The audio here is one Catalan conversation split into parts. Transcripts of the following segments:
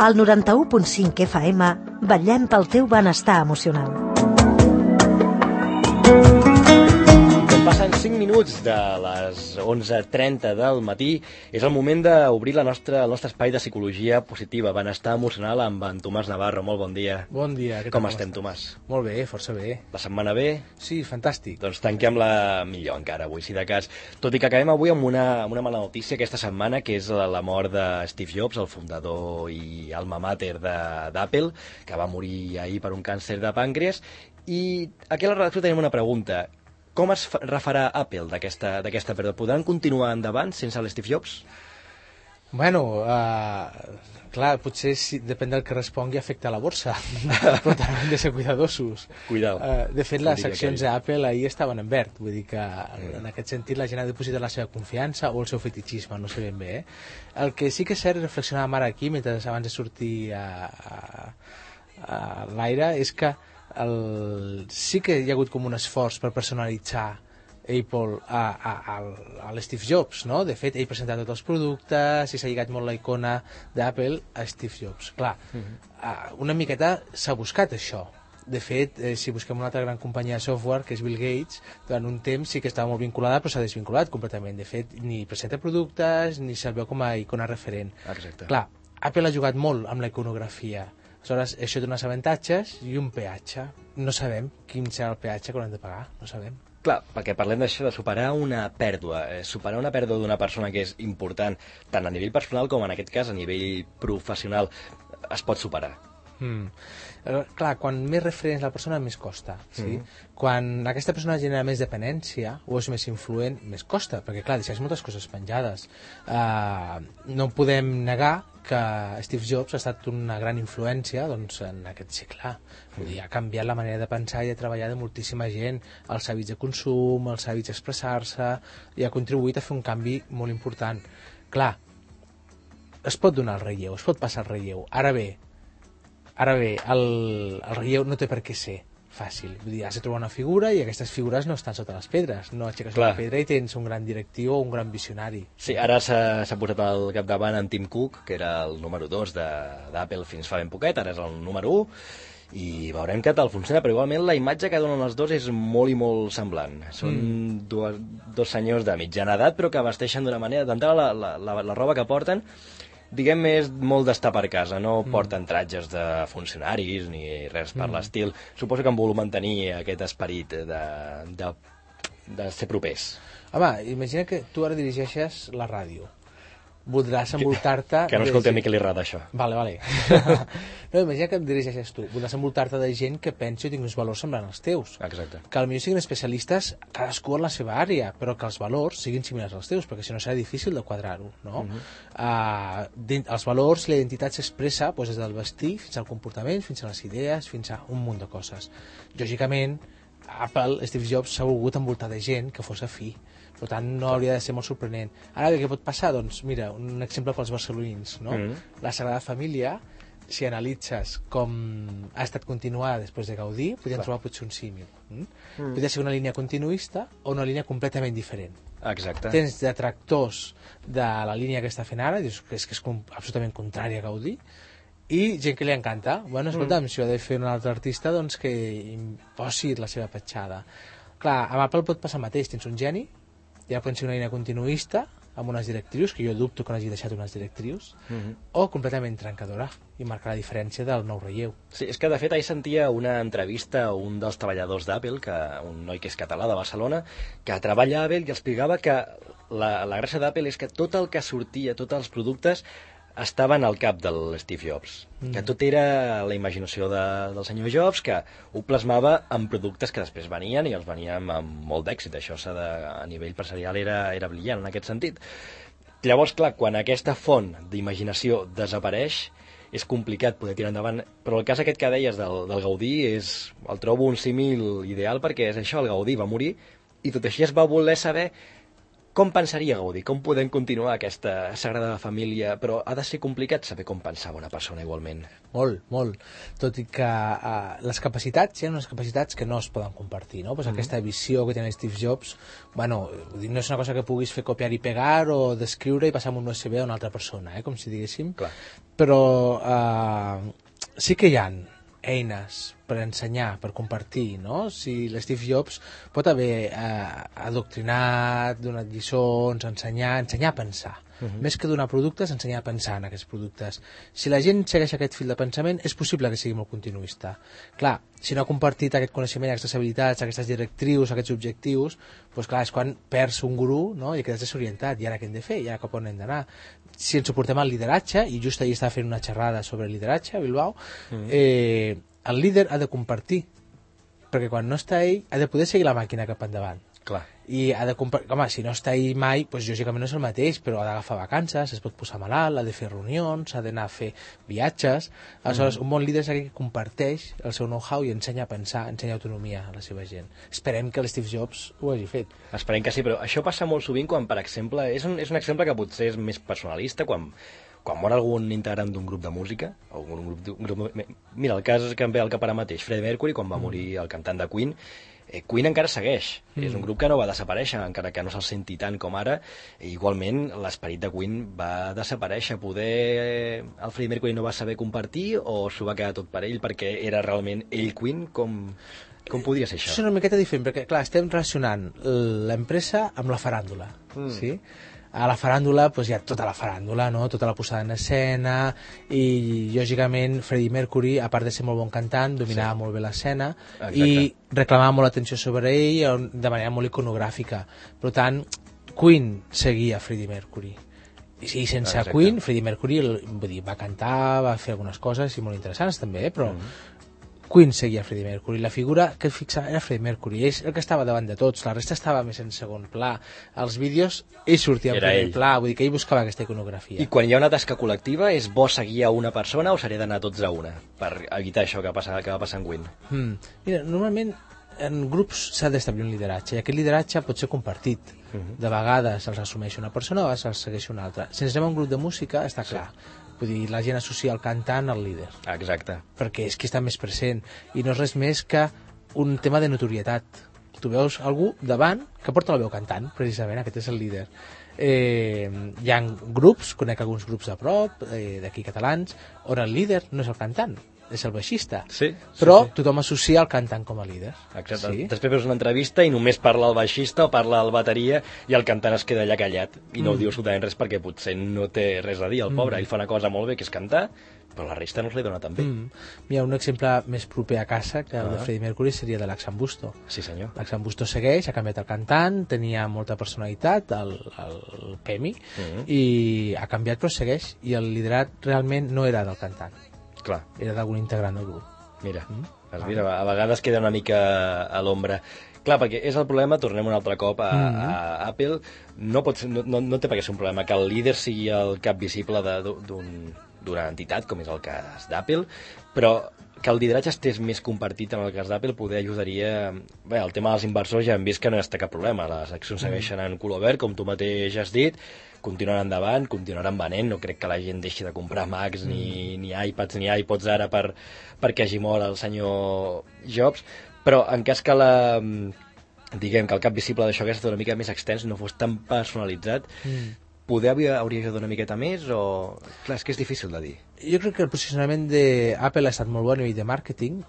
Al 91.5 FM vetllem pel teu benestar emocional. Passen 5 minuts de les 11:30 del matí. És el moment d'obrir el nostre espai de psicologia positiva, benestar emocional, amb en Tomàs Navarro. Molt bon dia. Bon dia. Com estem, Tomàs? Molt bé, força bé. La setmana bé? Sí, fantàstic. Doncs tanquem-la millor encara avui, si de cas. Tot i que acabem avui amb una mala notícia aquesta setmana, que és la mort de Steve Jobs, el fundador i alma mater d'Apple, que va morir ahir per un càncer de pàncreas. I aquí a la redacció tenim una pregunta. Com es refarà Apple d'aquesta pèrdua? Podran continuar endavant sense l'Steve Jobs? Bueno, clar, potser depèn del que respongui afecta a la borsa, però també hem de ser cuidadosos. Cuidao. De fet, les accions d'Apple ahir estaven en verd, vull dir que en aquest sentit la gent ha depositat la seva confiança o el seu fetichisme, no sé ben bé. El que sí que és cert, reflexionàvem ara aquí, mentre abans de sortir a l'aire, és que sí que hi ha hagut com un esforç per personalitzar Apple a l'Steve Jobs, no? De fet, ell presenta tots els productes i s'ha lligat molt la icona d'Apple a Steve Jobs. Clar, una miqueta s'ha buscat això. De fet, si busquem una altra gran companyia de software, que és Bill Gates, durant un temps sí que estava molt vinculada, però s'ha desvinculat completament. De fet, ni presenta productes, ni se'l veu com a icona referent. Exacte. Clar, Apple ha jugat molt amb la iconografia. Aleshores, això té uns avantatges i un peatge. No sabem quin serà el peatge que haurem de pagar, no sabem. Clar, perquè parlem d'això, de superar una pèrdua. Superar una pèrdua d'una persona que és important, tant a nivell personal com en aquest cas a nivell professional, es pot superar. Clar, quan més referents la persona, més costa. Sí? Quan aquesta persona genera més dependència o és més influent, més costa, perquè clar, deixes moltes coses penjades. No podem negar que Steve Jobs ha estat una gran influència doncs, en aquest segle. Vull dir, ha canviat la manera de pensar i de treballar de moltíssima gent, els hàbits de consum, els hàbits d'expressar-se, i ha contribuït a fer un canvi molt important. Clar, es pot donar el relleu, es pot passar el relleu. Ara bé, el relleu no té per què ser fàcil. Vull dir, has de trobar una figura i aquestes figures no estan sota les pedres. No aixeques una pedra i tens un gran directiu o un gran visionari. Sí, ara s'ha posat al capdavant en Tim Cook, que era el número 2 d'Apple fins fa ben poquet, ara és el número 1, i veurem què tal funciona, però igualment la imatge que donen els dos és molt i molt semblant. Són dos senyors de mitjana edat, però que vesteixen d'una manera, d'entrada la roba que porten, diguem, és molt d'estar per casa, no porten tratges de funcionaris ni res per l'estil. Suposo que han volgut mantenir aquest esperit de ser propers. Home, imagina que tu ara dirigeixes la ràdio. Voldràs envoltar-te... Que no escolti a mi que li agrada això. Vale. No, imagina que em dirigeixes tu. Voldràs envoltar-te de gent que pensi o tingui uns valors semblant als teus. Exacte. Que potser siguin especialistes cadascú en la seva àrea, però que els valors siguin similars als teus, perquè si no serà difícil de quadrar-ho, no? Els valors i la identitat s'expressa des del vestir fins al comportament, fins a les idees, fins a un munt de coses. Lògicament, Apple, Steve Jobs, s'ha volgut envoltar de gent que fos afí. Per tant, no hauria de ser molt sorprenent. Ara, què pot passar? Doncs, mira, un exemple pels barcelonins, no? La Sagrada Família, si analitzes com ha estat continuada després de Gaudí, podríem trobar potser un símil. Podria ser una línia continuista o una línia completament diferent. Exacte. Tens detractors de la línia que està fent ara, dius que és absolutament contrària a Gaudí, i gent que li encanta. Bueno, escolta'm, si ho ha de fer un altre artista, doncs que imposi la seva petjada. Clar, amb Apple pot passar el mateix. Tens un geni, ja pot ser una línia continuista, amb unes directrius, que jo dubto que no hagi deixat unes directrius, o completament trencadora, i marcar la diferència del nou relleu. Sí, és que de fet ahir sentia una entrevista a un dels treballadors d'Apple, un noi que és català de Barcelona, que treballa a Apple i explicava que la gràcia d'Apple és que tot el que sortia, tots els productes, estaven al cap del Steve Jobs, que tot era la imaginació del senyor Jobs, que ho plasmava en productes que després venien i els venien amb molt d'èxit. Això a nivell empresarial era brillant en aquest sentit. Llavors, clar, quan aquesta font d'imaginació desapareix, és complicat poder tirar endavant, però el cas aquest que deies del Gaudí el trobo un símil ideal, perquè és això, el Gaudí va morir i tot així es va voler saber Com pensaria Gaudí? Com podem continuar aquesta Sagrada Família? Però ha de ser complicat saber com pensava una persona igualment. Molt, molt. Tot i que les capacitats, hi ha unes capacitats que no es poden compartir, no? Pues aquesta visió que té Steve Jobs, bueno, no és una cosa que puguis fer copiar i pegar o descriure i passar amb un USB a una altra persona, com si diguéssim. Clar. Però sí que hi ha eines per ensenyar, per compartir, no? Si l'Steve Jobs pot haver adoctrinat, donat lliçons, ensenyar a pensar. Més que donar productes, ensenyar a pensar en aquests productes. Si la gent segueix aquest fil de pensament, és possible que sigui molt continuista. Clar, si no ha compartit aquest coneixement, aquestes habilitats, aquestes directrius, aquests objectius, doncs clar, és quan perds un gurú, no? I quedes desorientat. I ara què hem de fer? I ara cap on hem d'anar? Si ens suportem al lideratge, i just ahir estava fent una xerrada sobre lideratge a Bilbao, el líder ha de compartir, perquè quan no està ell ha de poder seguir la màquina cap endavant. Clar. I ha de home, si no està ell mai, doncs lògicament no és el mateix, però ha d'agafar vacances, es pot posar malalt, ha de fer reunions, ha d'anar a fer viatges. Aleshores, un bon líder és aquell que comparteix el seu know-how i ensenya a pensar, ensenya autonomia a la seva gent. Esperem que l'Steve Jobs ho hagi fet. Esperem que sí, però això passa molt sovint quan, per exemple, és un exemple que potser és més personalista, quan mor algun integrant d'un grup de música, o un grup... Mira, el cas que em ve al cap ara mateix, Freddie Mercury, quan va morir el cantant de Queen, Queen encara segueix. És un grup que no va desaparèixer, encara que no se'l senti tant com ara. Igualment, l'esperit de Queen va desaparèixer. Poder el Freddie Mercury no va saber compartir o s'ho va quedar tot per ell perquè era realment ell Queen? Com podria ser això? És una miqueta diferent, perquè clar, estem relacionant l'empresa amb la faràndula, sí? A la faràndula doncs hi ha tota la faràndula, no? Tota la posada en escena, i lògicament Freddie Mercury, a part de ser molt bon cantant, dominava molt bé l'escena i reclamava molt l'atenció sobre ell de manera molt iconogràfica. Per tant, Queen seguia Freddie Mercury. I sense Queen, Freddie Mercury va cantar, va fer algunes coses i molt interessants també, però Queen seguia Freddie Mercury, la figura que fixava era Freddie Mercury, és el que estava davant de tots, la resta estava més en segon pla. Els vídeos ell sortia en primer pla, vull dir que ell buscava aquesta iconografia. I quan hi ha una tasca col·lectiva, és bo seguir a una persona o s'hauria d'anar tots a una, per evitar això que va passar en Queen? Mira, normalment en grups s'ha d'establir un lideratge, i aquest lideratge pot ser compartit. De vegades els assumeix una persona, a vegades els segueix una altra. Si ens anem a un grup de música, està clar. Vull dir, la gent associa el cantant al líder. Exacte. Perquè és qui està més present. I no és res més que un tema de notorietat. Tu veus algú davant que porta la veu cantant, precisament, aquest és el líder. Hi ha grups, conec alguns grups de prop, d'aquí catalans, on el líder no és el cantant, és el baixista. Però tothom associa el cantant com a líder. Exacte. Després veus una entrevista i només parla el baixista o parla el bateria i el cantant es queda allà callat i no diu absolutament res perquè potser no té res a dir, el pobre. Ell fa una cosa molt bé, que és cantar, però la resta no se li dona tan bé. Mira, un exemple més proper a casa que el de Freddie Mercury seria de l'Axambusto. Sí, senyor. L'Axambusto segueix, ha canviat el cantant, tenia molta personalitat, el Pemi, i ha canviat però segueix, i el liderat realment no era del cantant. Clar. Era d'algun integrant del grup. Mira, a vegades queda una mica a l'ombra. Clar, perquè és el problema, tornem un altre cop a Apple, no té per què ser un problema que el líder sigui el cap visible d'una entitat, com és el cas d'Apple, però que el lideratge estés més compartit en el cas d'Apple poder ajudaria... Bé, el tema dels inversors ja hem vist que no hi ha cap problema, les accions segueixen en color verd, com tu mateix has dit, continuaran endavant, continuaran venent, no crec que la gent deixi de comprar Macs, ni iPads, ni iPods ara perquè hagi mort el senyor Jobs, però en cas que diguem que el cap visible d'això hagués estat una mica més extens, no fos tan personalitzat, poder hauria ajudat una miqueta més o... Clar, és que és difícil de dir. Jo crec que el posicionament d'Apple ha estat molt bo a nivell de màrqueting,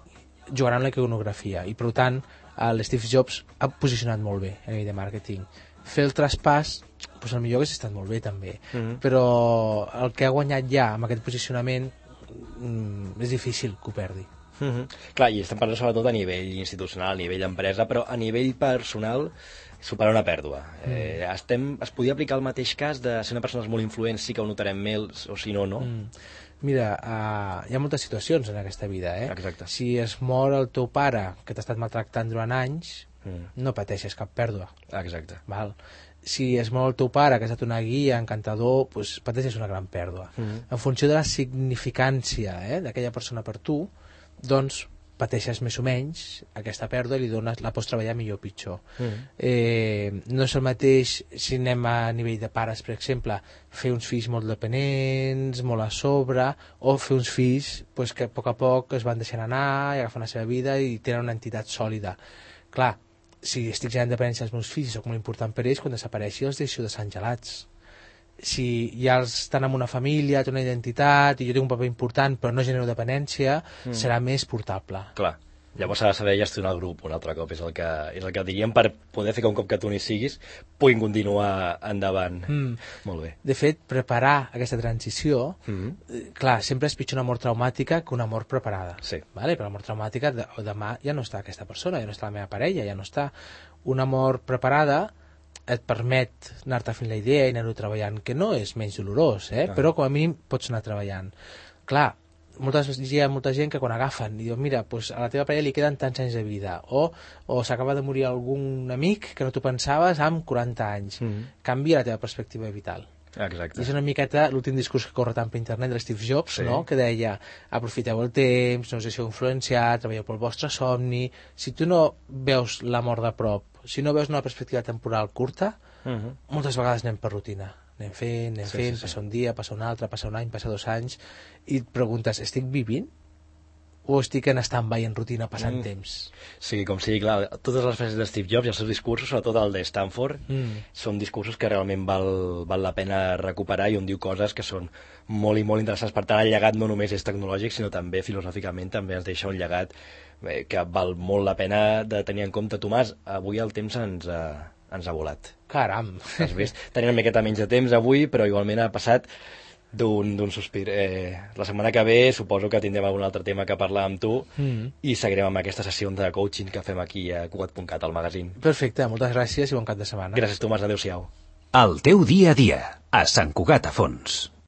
jugant amb la iconografia, i per tant l'Steve Jobs ha posicionat molt bé a nivell de màrqueting. Fer el traspàs, doncs potser hauria estat molt bé també, però el que ha guanyat ja amb aquest posicionament és difícil que ho perdi. Clar, i estem parlant sobretot a nivell institucional, a nivell empresa, però a nivell personal superar una pèrdua. Es podia aplicar el mateix cas de si una persona és molt influent sí que ho notarem més o si no, no? Mira, hi ha moltes situacions en aquesta vida, Exacte. Si es mor el teu pare, que t'ha estat maltractant durant anys, no pateixes cap pèrdua. Exacte. Val? Si es mor el teu pare, que ha estat una guia, encantador, doncs pateixes una gran pèrdua. En funció de la significància d'aquella persona per tu, doncs pateixes més o menys aquesta pèrdua i la pots treballar millor o pitjor. No és el mateix si anem a nivell de pares, per exemple, fer uns fills molt dependents, molt a sobre, o fer uns fills pues, que a poc es van deixant anar i agafen la seva vida i tenen una entitat sòlida. Clar, si estic generant dependència als meus fills i soc molt important per ells, quan desapareixi els deixo de ser gelats. Si ja estan en una família, té una identitat i jo tinc un paper important però no genero dependència, serà més portable. Clar, llavors s'ha de saber gestionar el grup un altre cop, és el que diríem, per poder fer que un cop que tu n'hi siguis puguin continuar endavant. Molt bé. De fet, preparar aquesta transició, clar, sempre és pitjor una mort traumàtica que una mort preparada. Sí. Vale? Però la mort traumàtica, demà ja no està aquesta persona, ja no està la meva parella, ja no està. Una mort preparada et permet anar-te fent la idea i anar-ho treballant, que no és menys dolorós, però com a mínim pots anar treballant. Clar, hi ha molta gent que quan agafen i diuen, mira, pues a la teva parella li queden tants anys de vida, o s'acaba de morir algun amic que no t'ho pensaves amb 40 anys. Canvia la teva perspectiva vital. Exacte. I és una miqueta l'últim discurs que corre tant per internet de Steve Jobs, no? Que deia, aprofiteu el temps, no us deixeu influenciar, treballeu pel vostre somni. Si tu no veus la mort de prop, si no veus una perspectiva temporal curta, moltes vegades anem per rutina. Anem fent, passa un dia, passa un altre, passa un any, passa 2 anys, i et preguntes, estic vivint? O estic en stand-by, en rutina, passant temps? Sí, com sigui, clar, totes les frases de Steve Jobs i els seus discursos, sobretot el de Stanford, són discursos que realment val la pena recuperar, i on diu coses que són molt i molt interessants. Per tant, el llegat no només és tecnològic, sinó també filosòficament també ens deixa un llegat que val molt la pena de tenir en compte. Tomàs, avui el temps ens ha volat. Caram! Has vist? Tenim una miqueta menys de temps avui, però igualment ha passat d'un sospir. La setmana que ve suposo que tindrem algun altre tema que parlar amb tu i seguirem amb aquesta sessió de coaching que fem aquí a Cugat.cat, al magazín. Perfecte, moltes gràcies i bon cap de setmana. Gràcies, Tomàs, adéu-siau. El teu dia a dia, a Sant Cugat a Fons.